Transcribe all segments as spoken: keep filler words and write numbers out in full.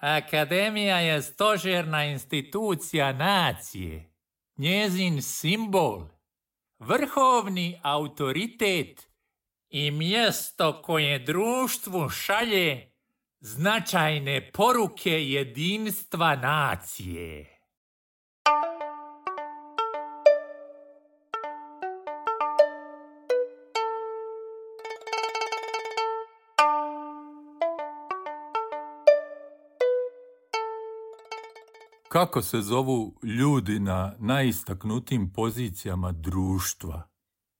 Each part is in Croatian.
Akademija je stožerna institucija nacije, njezin simbol, vrhovni autoritet i mjesto koje društvu šalje značajne poruke jedinstva nacije. Kako se zovu ljudi na najistaknutijim pozicijama društva,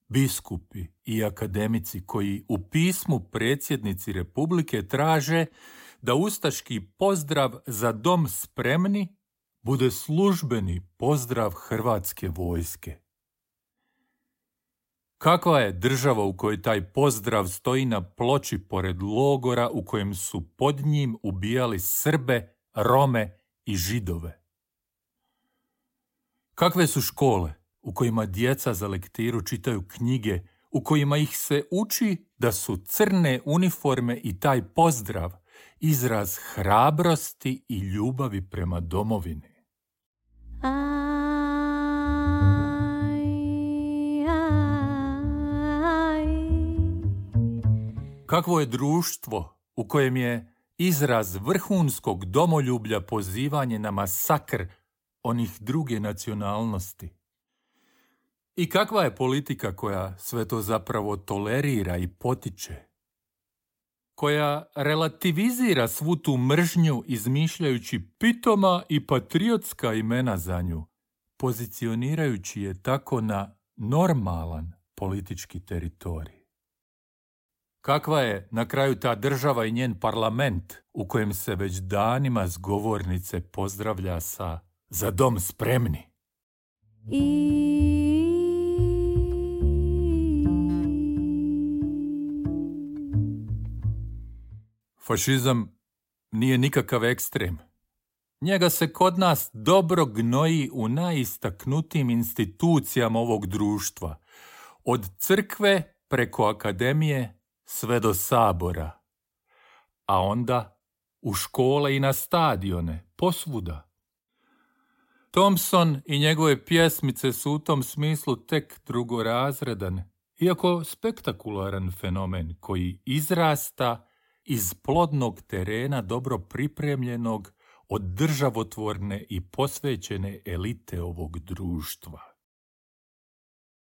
biskupi i akademici koji u pismu predsjednici Republike traže da ustaški pozdrav za dom spremni bude službeni pozdrav Hrvatske vojske? Kakva je država u kojoj taj pozdrav stoji na ploči pored logora u kojem su pod njim ubijali Srbe, Rome i Židove? Kakve su škole u kojima djeca za lektiru čitaju knjige, u kojima ih se uči da su crne uniforme i taj pozdrav izraz hrabrosti i ljubavi prema domovini? Kakvo je društvo u kojem je izraz vrhunskog domoljublja pozivanje na masakr onih druge nacionalnosti? I kakva je politika koja sve to zapravo tolerira i potiče? Koja relativizira svu tu mržnju izmišljajući pitoma i patriotska imena za nju, pozicionirajući je tako na normalan politički teritorij? Kakva je na kraju ta država i njen parlament u kojem se već danima s govornice pozdravlja sa "Za dom spremni"? Fašizam nije nikakav ekstrem. Njega se kod nas dobro gnoji u najistaknutijim institucijama ovog društva, od crkve preko akademije sve do sabora, a onda u škole i na stadione, posvuda. Thompson i njegove pjesmice su u tom smislu tek drugorazredan, iako spektakularan fenomen koji izrasta iz plodnog terena dobro pripremljenog od državotvorne i posvećene elite ovog društva.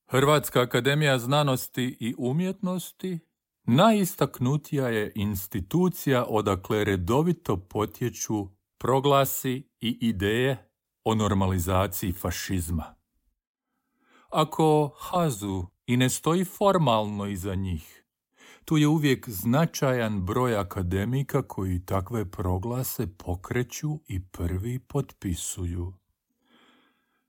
Hrvatska akademija znanosti i umjetnosti najistaknutija je institucija odakle redovito potječu proglasi i ideje o normalizaciji fašizma. Ako hazu i ne stoji formalno iza njih, tu je uvijek značajan broj akademika koji takve proglase pokreću i prvi potpisuju.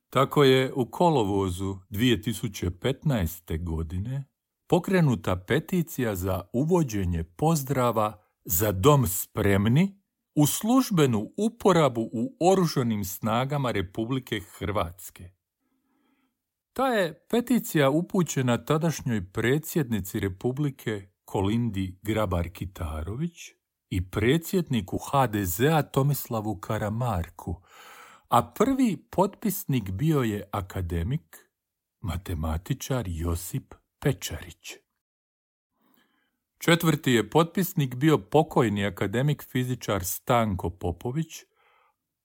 Tako je u kolovozu dvije tisuće petnaeste. godine pokrenuta peticija za uvođenje pozdrava "Za dom spremni" u službenu uporabu u oružanim snagama Republike Hrvatske. Ta je peticija upućena tadašnjoj predsjednici Republike Kolindi Grabar-Kitarović i predsjedniku ha de zea Tomislavu Karamarku, a prvi potpisnik bio je akademik, matematičar Josip Pečarić. Četvrti je potpisnik bio pokojni akademik fizičar Stanko Popović,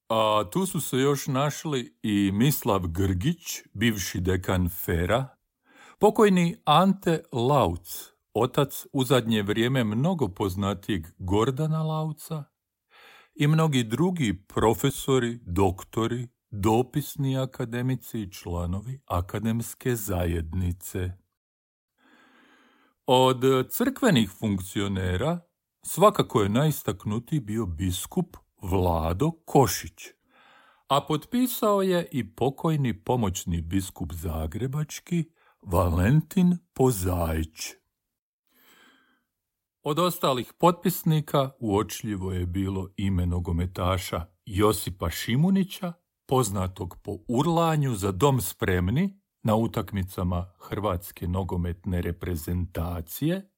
a tu su se još našli i Mislav Grgić, bivši dekan Fera, pokojni Ante Lauc, otac u zadnje vrijeme mnogo poznatijeg Gordana Lauca, i mnogi drugi profesori, doktori, dopisni akademici i članovi akademske zajednice. Od crkvenih funkcionera svakako je najistaknutiji bio biskup Vlado Košić, a potpisao je i pokojni pomoćni biskup zagrebački Valentin Pozaić. Od ostalih potpisnika uočljivo je bilo ime nogometaša Josipa Šimunića, poznatog po urlanju "Za dom spremni" na utakmicama Hrvatske nogometne reprezentacije,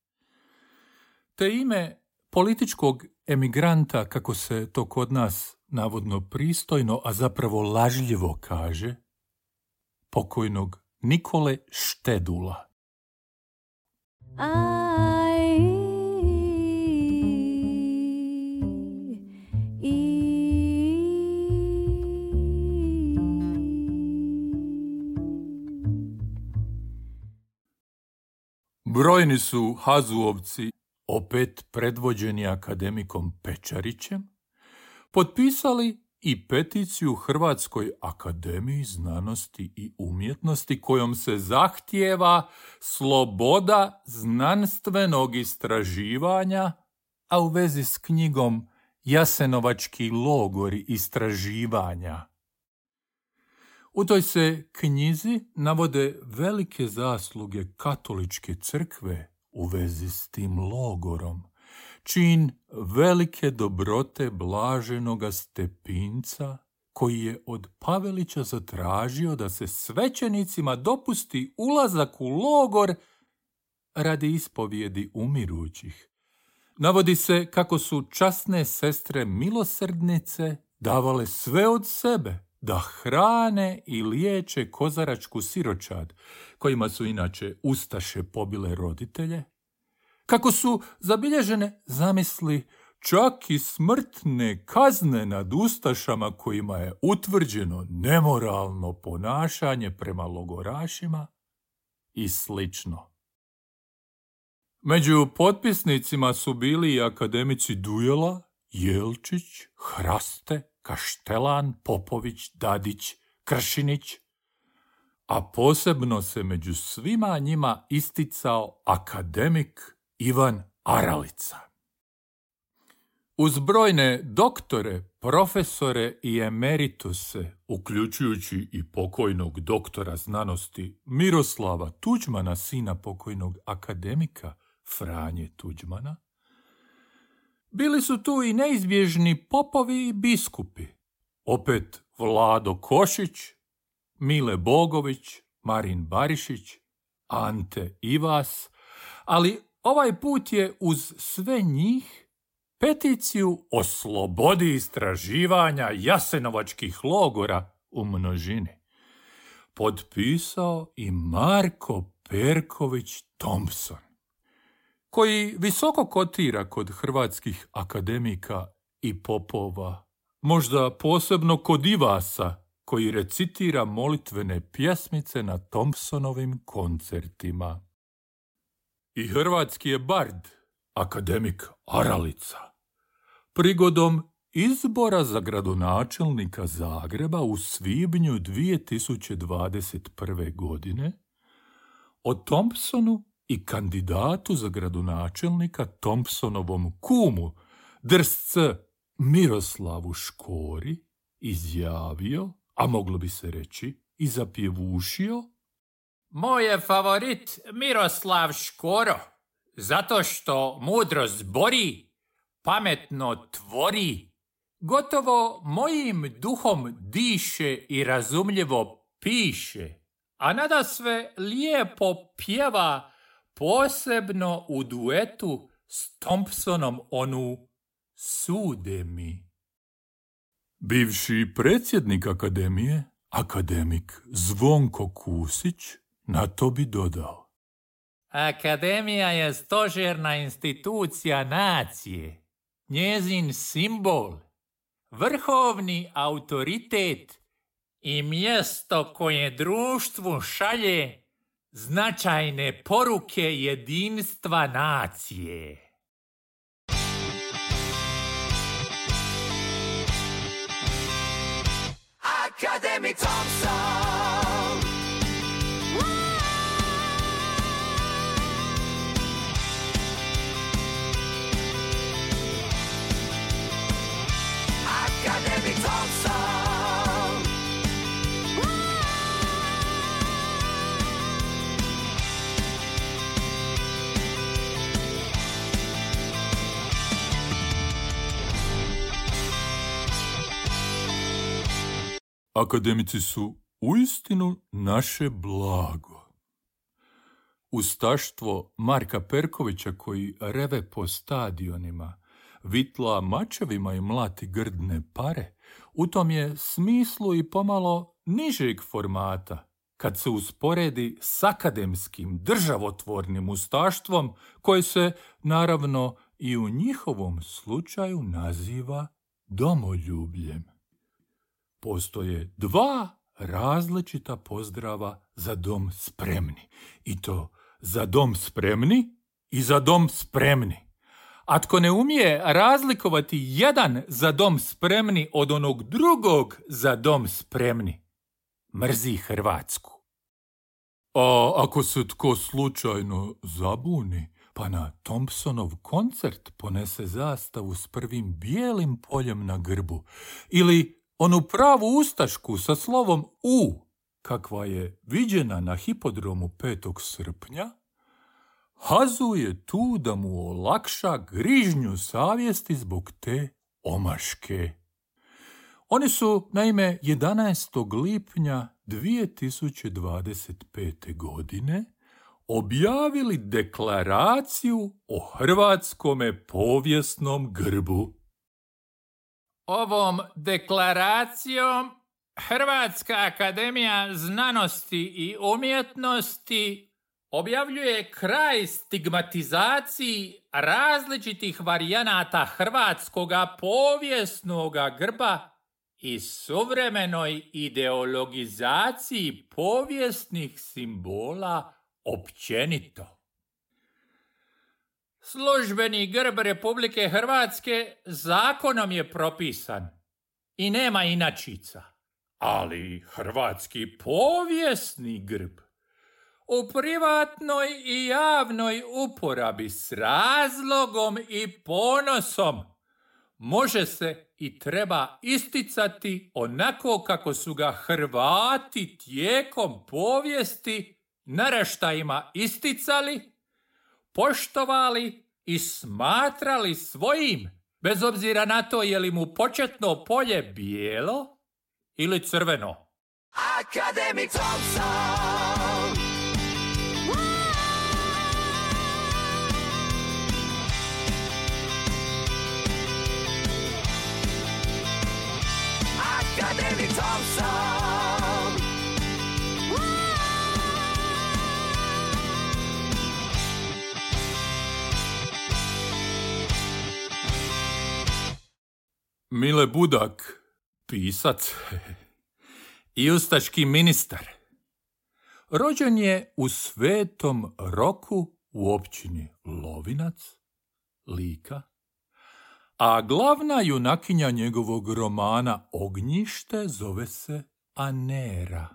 te ime političkog emigranta, kako se to kod nas navodno pristojno, a zapravo lažljivo kaže, pokojnog Nikole Štedula. Aj, i, Brojni su Hazuovci, opet predvođeni akademikom Pečarićem, potpisali i peticiju Hrvatskoj akademiji znanosti i umjetnosti kojom se zahtijeva sloboda znanstvenog istraživanja, a u vezi s knjigom Jasenovački logori istraživanja. U toj se knjizi navode velike zasluge katoličke crkve u vezi s tim logorom, čin velike dobrote blaženoga Stepinca, koji je od Pavelića zatražio da se svećenicima dopusti ulazak u logor radi ispovjedi umirućih. Navodi se kako su časne sestre milosrdnice davale sve od sebe da hrane i liječe kozaračku siročad, kojima su inače ustaše pobile roditelje, kako su zabilježene, zamisli, čak i smrtne kazne nad ustašama kojima je utvrđeno nemoralno ponašanje prema logorašima i slično. Među potpisnicima su bili i akademici Dujela, Jelčić, Hraste, Kaštelan, Popović, Dadić, Kršinić, a posebno se među svima njima isticao akademik Ivan Aralica. Uz brojne doktore, profesore i emerituse, uključujući i pokojnog doktora znanosti Miroslava Tuđmana, sina pokojnog akademika Franje Tuđmana, bili su tu i neizbježni popovi i biskupi, opet Vlado Košić, Mile Bogović, Marin Barišić, Ante Ivas, ali ovaj put je uz sve njih peticiju o slobodi istraživanja jasenovačkih logora u množini potpisao i Marko Perković Thompson, koji visoko kotira kod hrvatskih akademika i popova, možda posebno kod Ivasa, koji recitira molitvene pjesmice na Thompsonovim koncertima. I hrvatski je bard, akademik Aralica, prigodom izbora za gradonačelnika Zagreba u svibnju dvije tisuće dvadeset prve. godine o Thompsonu i kandidatu za gradonačelnika Thompsonovom kumu, drsce Miroslavu Škori, izjavio, a moglo bi se reći i zapjevušio: Moj je favorit Miroslav Škoro, zato što mudro zbori, pametno tvori, gotovo mojim duhom diše i razumljivo piše, a nadasve lijepo pjeva, posebno u duetu s Thompsonom onu Sude mi. Bivši predsjednik akademije, akademik Zvonko Kusić, na to bi dodao: Akademija je stožerna institucija nacije, njezin simbol, vrhovni autoritet i mjesto koje društvu šalje značajne poruke jedinstva nacije. Academic Thompson. Academic Thompson. Akademici su uistinu naše blago. Ustaštvo Marka Perkovića, koji reve po stadionima, vitla mačevima i mlati grdne pare, u tom je smislu i pomalo nižeg formata, kad se usporedi s akademskim državotvornim ustaštvom, koje se, naravno, i u njihovom slučaju naziva domoljubljem. Postoje dva različita pozdrava za dom spremni, i to za dom spremni i za dom spremni. A tko ne umije razlikovati jedan za dom spremni od onog drugog za dom spremni, mrzi Hrvatsku. A ako se tko slučajno zabuni, pa na Thompsonov koncert ponese zastavu s prvim bijelim poljem na grbu, ili onu pravu ustašku sa slovom U, kakva je viđena na hipodromu petog srpnja, Hazu je tu da mu olakša grižnju savjesti zbog te omaške. Oni su, naime, jedanaestog lipnja dvije tisuće dvadeset pete. godine objavili deklaraciju o hrvatskome povijesnom grbu. Ovom deklaracijom Hrvatska akademija znanosti i umjetnosti objavljuje kraj stigmatizaciji različitih varijanata hrvatskoga povijesnoga grba i suvremenoj ideologizaciji povijesnih simbola općenito. Službeni grb Republike Hrvatske zakonom je propisan i nema inačica, ali hrvatski povijesni grb u privatnoj i javnoj uporabi s razlogom i ponosom može se i treba isticati onako kako su ga Hrvati tijekom povijesti naraštajima isticali, poštovali i smatrali svojim, bez obzira na to je li mu početno polje bijelo ili crveno. Academic Thompson. Academic Thompson. Mile Budak, pisac i ustaški ministar, rođen je u Svetom Roku u općini Lovinac, Lika, a glavna junakinja njegovog romana Ognjište zove se Anera.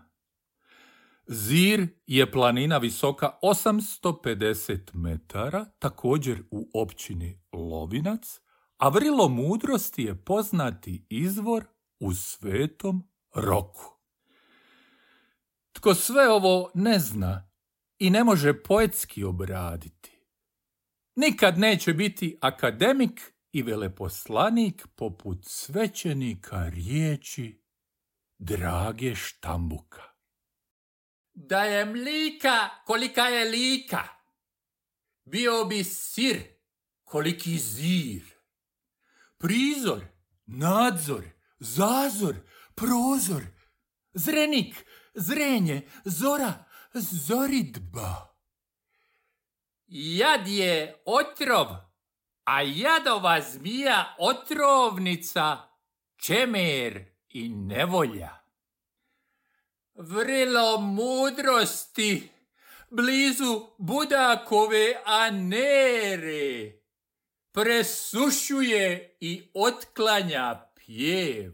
Zir je planina visoka osamsto pedeset metara, također u općini Lovinac, a vrilo mudrosti je poznati izvor u Svetom Roku. Tko sve ovo ne zna i ne može poetski obraditi, nikad neće biti akademik i veleposlanik poput svećenika riječi Drage Štambuka. Da je mlika kolika je lika, bio bi sir koliki zir. Prizor, nadzor, zazor, prozor, zrenik, zrenje, zora, zoridba. Jad je otrov, a jadova zmija otrovnica, čemer i nevolja. Vrilo mudrosti, blizu Budakove Anere, presušuje i otklanja pjev.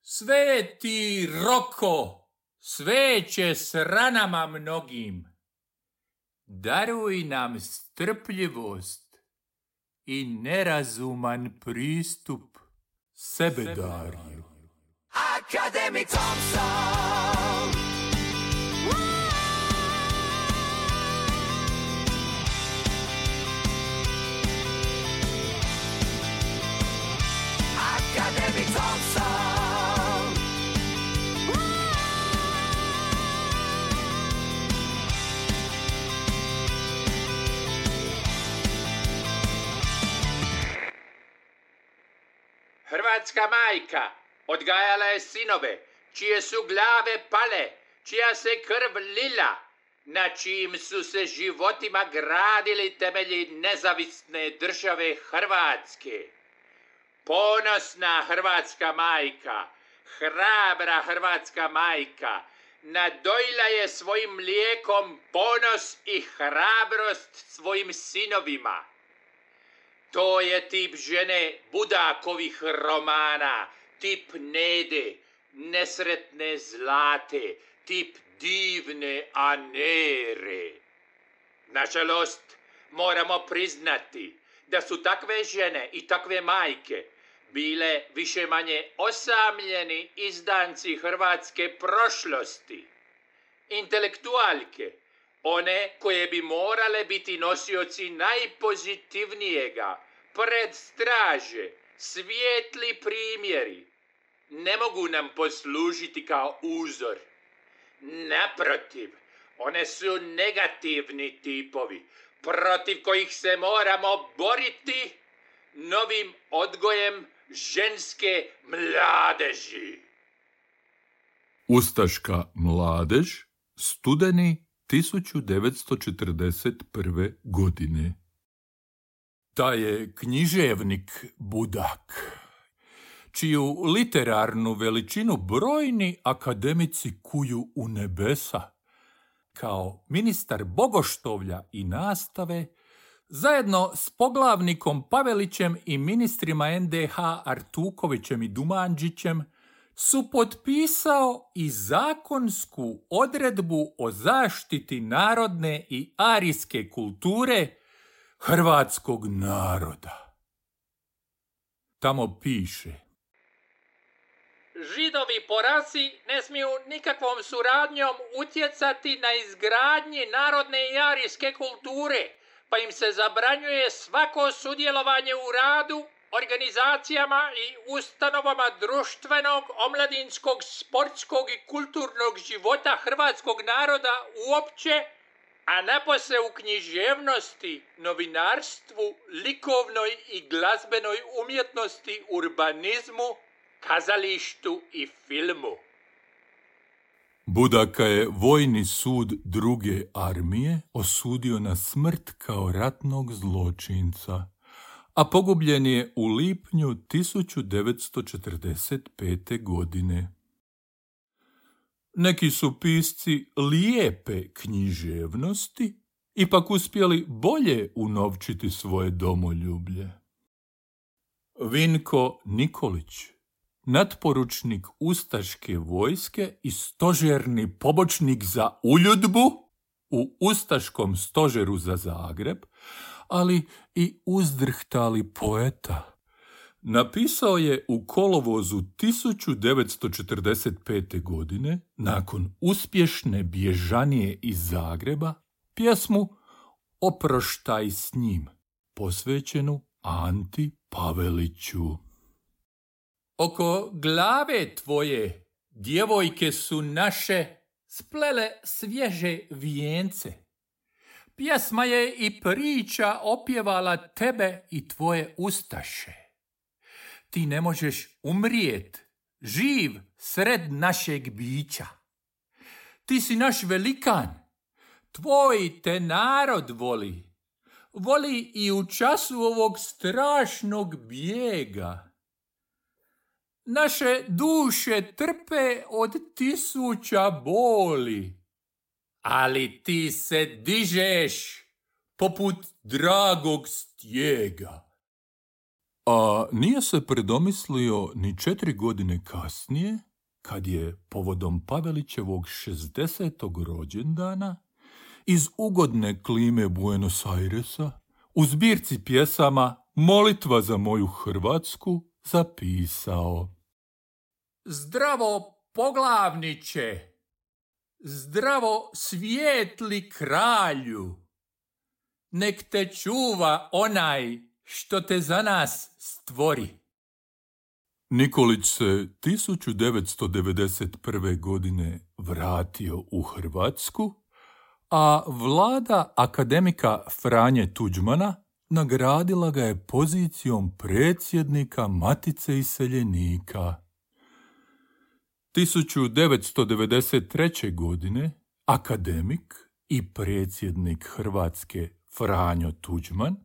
Sveti Roko, sveće s ranama mnogim, daruj nam strpljivost i nerazuman pristup sebedarju. Academic Thompson. Academic Thompson. hrvatska majka odgajala je sinove, čije su glave pale, čija se krv lila, na čijim su se životima gradili temelji nezavisne države Hrvatske. Ponosna hrvatska majka, hrabra hrvatska majka, nadojila je svojim mlijekom ponos i hrabrost svojim sinovima. To je tip žene Budakovih romana, tip Nede, nesretne Zlate, tip divne Anere. Nažalost, moramo priznati da su takve žene i takve majke bile više manje osamljeni izdanci hrvatske prošlosti. Intelektualke, one koje bi morale biti nosioci najpozitivnijega, pred straže, svijetli primjeri, ne mogu nam poslužiti kao uzor. Naprotiv, one su negativni tipovi, protiv kojih se moramo boriti novim odgojem ženske mladeži. Ustaška mladež, studeni tisuću devetsto četrdeset prve. godine. Taj je književnik Budak, čiju literarnu veličinu brojni akademici kuju u nebesa. Kao ministar bogoštovlja i nastave, zajedno s poglavnikom Pavelićem i ministrima en de ha Artukovićem i Dumanđićem, su potpisao i zakonsku odredbu o zaštiti narodne i arijske kulture hrvatskog naroda. Tamo piše: Židovi po rasi ne smiju nikakvom suradnjom utjecati na izgradnji narodne i arijske kulture, pa im se zabranjuje svako sudjelovanje u radu, organizacijama i ustanovama društvenog, omladinskog, sportskog i kulturnog života hrvatskog naroda uopće, a napose u književnosti, novinarstvu, likovnoj i glazbenoj umjetnosti, urbanizmu, kazalištu i filmu. Budaka je vojni sud druge armije osudio na smrt kao ratnog zločinca, a pogubljen je u lipnju tisuću devetsto četrdeset pete. godine. Neki su pisci lijepe književnosti ipak uspjeli bolje unovčiti svoje domoljublje. Vinko Nikolić, natporučnik ustaške vojske i stožerni pobočnik za uljudbu u ustaškom stožeru za Zagreb, ali i uzdrhtali poeta, napisao je u kolovozu tisuću devetsto četrdeset pete. godine, nakon uspješne bježanije iz Zagreba, pjesmu Oproštaj s njim, posvećenu Anti Paveliću. Oko glave tvoje, djevojke su naše, splele svježe vijence. Pjesma je i priča opjevala tebe i tvoje ustaše. Ti ne možeš umrijet, živ sred našeg bića. Ti si naš velikan, tvoj te narod voli. Voli i u času ovog strašnog bijega. Naše duše trpe od tisuća boli, ali ti se dižeš poput dragog stijega. A nije se predomislio ni četiri godine kasnije, kad je povodom Pavelićevog šezdesetog rođendana iz ugodne klime Buenos Airesa u zbirci pjesama Molitva za moju Hrvatsku zapisao: Zdravo poglavniče, zdravo svijetli kralju, nek te čuva onaj što te za nas stvori. Nikolić se tisuću devetsto devedeset prve. godine vratio u Hrvatsku, a vlada akademika Franje Tuđmana nagradila ga je pozicijom predsjednika Matice iseljenika. tisuću devetsto devedeset treće. godine akademik i predsjednik Hrvatske Franjo Tuđman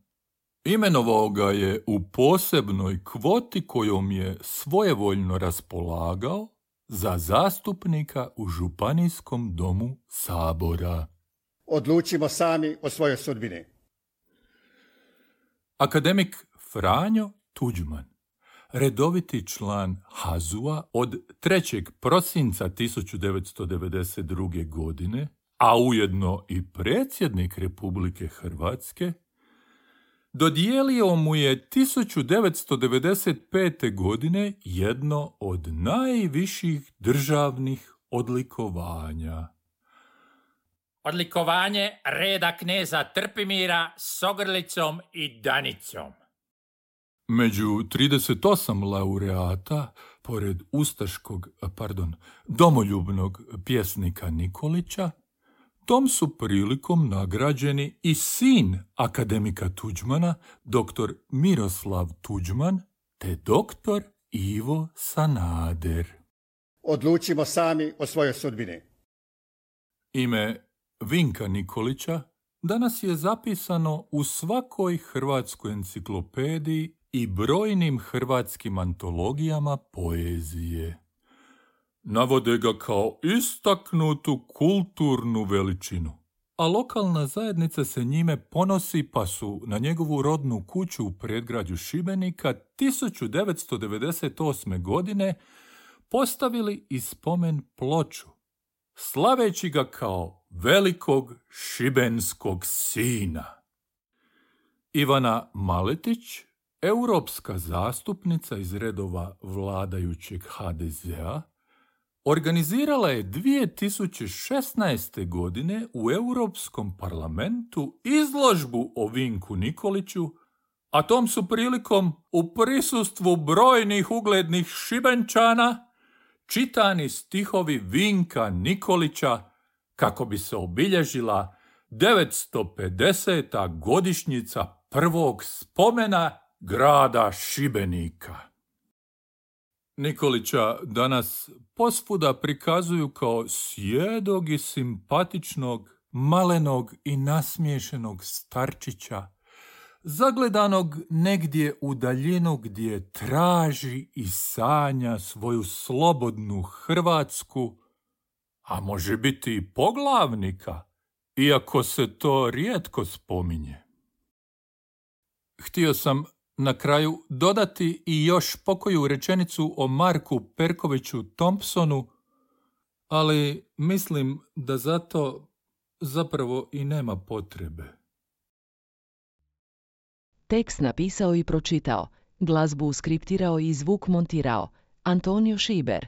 imenovao ga je u posebnoj kvoti kojom je svojevoljno raspolagao za zastupnika u Županijskom domu Sabora. Odlučimo sami o svojoj sudbini. Akademik Franjo Tuđman, redoviti član H A Z U-a od trećeg prosinca tisuću devetsto devedeset druge. godine, a ujedno i predsjednik Republike Hrvatske, dodijelio mu je tisuću devetsto devedeset pete. godine jedno od najviših državnih odlikovanja. Odlikovanje reda kneza Trpimira s ogrlicom i danicom. Među trideset osam laureata, pored ustaškog, pardon, domoljubnog pjesnika Nikolića, tom su prilikom nagrađeni i sin akademika Tuđmana, doktor Miroslav Tuđman, te doktor Ivo Sanader. Odlučimo sami o svojoj sudbini. Ime Vinka Nikolića danas je zapisano u svakoj hrvatskoj enciklopediji i brojnim hrvatskim antologijama poezije. Navode ga kao istaknutu kulturnu veličinu, a lokalna zajednica se njime ponosi pa su na njegovu rodnu kuću u predgrađu Šibenika tisuću devetsto devedeset osme. godine postavili i spomen ploču, slaveći ga kao velikog šibenskog sina. Ivana Maletić, europska zastupnica iz redova vladajućeg ha de zea, organizirala je dvije tisuće šesnaeste. godine u Europskom parlamentu izložbu o Vinku Nikoliću, a tom su prilikom u prisustvu brojnih uglednih Šibenčana čitani stihovi Vinka Nikolića kako bi se obilježila devetsto pedeseta. godišnjica prvog spomena grada Šibenika. Nikolića danas posvuda prikazuju kao sjedog i simpatičnog, malenog i nasmiješenog starčića, zagledanog negdje u daljinu gdje traži i sanja svoju slobodnu Hrvatsku, a može biti i poglavnika, iako se to rijetko spominje. Htio sam na kraju dodati i još pokoju rečenicu o Marku Perkoviću Thompsonu, ali mislim da zato zapravo i nema potrebe. Tekst napisao i pročitao, glazbu skriptirao i zvuk montirao Antonio Šiber.